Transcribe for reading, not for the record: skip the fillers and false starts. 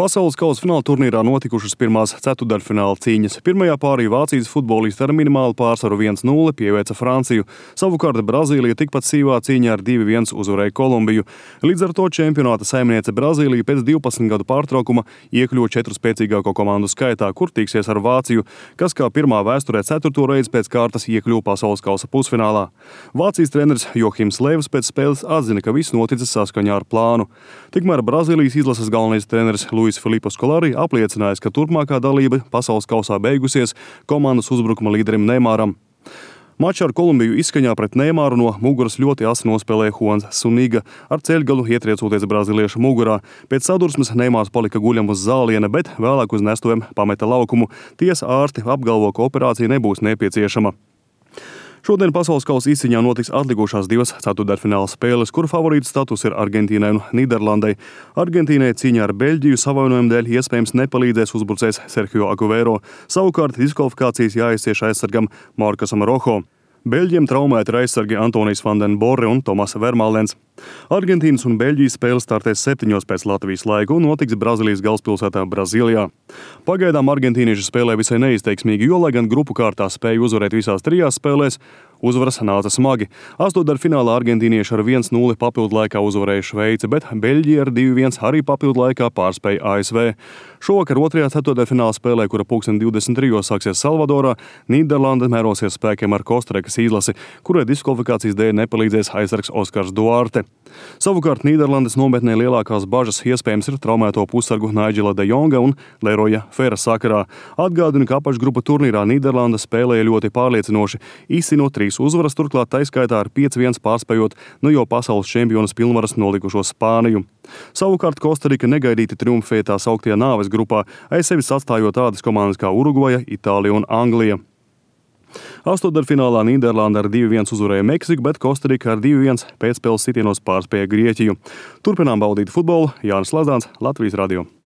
Pasaules kausa fināla turnīrā notikušas pirmās ceturtdaļfināla cīņas. Pirmajā pārī Vācijas futbolisti ar minimālu pārsvaru 1-0 pieveica Franciju. Savukārt Brazīlija tikpat sīvā cīņā ar 2-1 uzvarēja Kolumbiju. Līdz ar to čempionāta saimniece Brazīlija pēc 12 gadu pārtraukuma iekļuva 4 spēcīgāko komandu skaitā, kur tiksies ar Vāciju, kas kā pirmā vēsturē 4. reizi pēc kārtas iekļuva pasaules kausa pusfinālā. Vācijas treneris Johims Levs pēc spēles atzina, ka viss noticis saskaņā ar plānu. Tikmēr Brazīlijas izlases galvenais treneris Luis Filipe Scolari apliecinājis, ka turpmākā dalība pasaules kausā beigusies komandas uzbrukuma līderim Neimaram. Mačā ar Kolumbiju izskaņā pret Neimaru no muguras ļoti asi nospēlēja Juans Suniga, ar ceļgalu ietriecoties brazīliešu mugurā. Pēc sadursmes Neimars palika guļam uz zāliena, bet vēlāk uz nestuvēm pameta laukumu. Tiesa ārsti apgalvo, ka operācija nebūs nepieciešama. Šodien pasaules kausa izcīņā notiks atlikušās 2 ceturtdaļfināla spēles, kur favorīta status ir Argentīnai un Nīderlandei. Argentīnai cīņā ar Beļģiju savainojumu dēļ iespējams nepalīdzēs uzbrucējs Sergio Aguero. Savukārt diskvalifikācijas jāizcieš aizsargam Markosam Rojo. Beļģiem traumēti ir aizsargi Antonijs van den Borre un Tomas Vermaelens. Argentīnas un Beļģijas spēle startēs 7 pēc Latvijas laika un notiks Brazīlijas galvaspilsētā Brazīlijā. Pagaidām argentīnieši spēlē visai neizteiksmīgi, jo, lai gan grupu kārtā spēja uzvarēt visās 3 spēlēs, uzvaras nāca smagi. Astotdaļfinālā argentīnieši ar 1-0 papildu laikā uzvarēja Šveici, bet Beļģija ar 2-1 arī papildu laikā pārspēja ASV. Šovakar 2. ceturtdaļfināla spēlē, kura 23. sāksies Salvadorā, Nīderlanda mērosies spēkiem ar Kostarikas izlasi, kurai diskvalifikācijas dēļ nepalīdzēs aizsargs Oskars Duarte. Savukārt Nīderlandes nometnē lielākās bažas iespējams ir traumēto pussargu Naidžela de Jonga un Leroja Fera sakarā. Atgādinu, ka apakšgrupa turnīrā Nīderlanda spēlēja ļoti pārliecinoši, izcinot 3 uzvaras, turklāt taiskaitā ar 5-1 pārspējot jau pasaules čempionas pilnvaras nolikušo Spāniju. Savukārt Kostarika negaidīti triumfēja tā sauktajā nāves grupā, aiz sevis atstājot tādas komandas kā Urugvaja, Itālija un Anglija. Astotdaļfinālā Nīderlanda ar 2-1 uzvarēja Meksiku, bet Kostarika ar 2-1 pēcspēles sitienos pārspēja Grieķiju. Turpinām baudīt futbolu. Jānis Lazāns, Latvijas radio.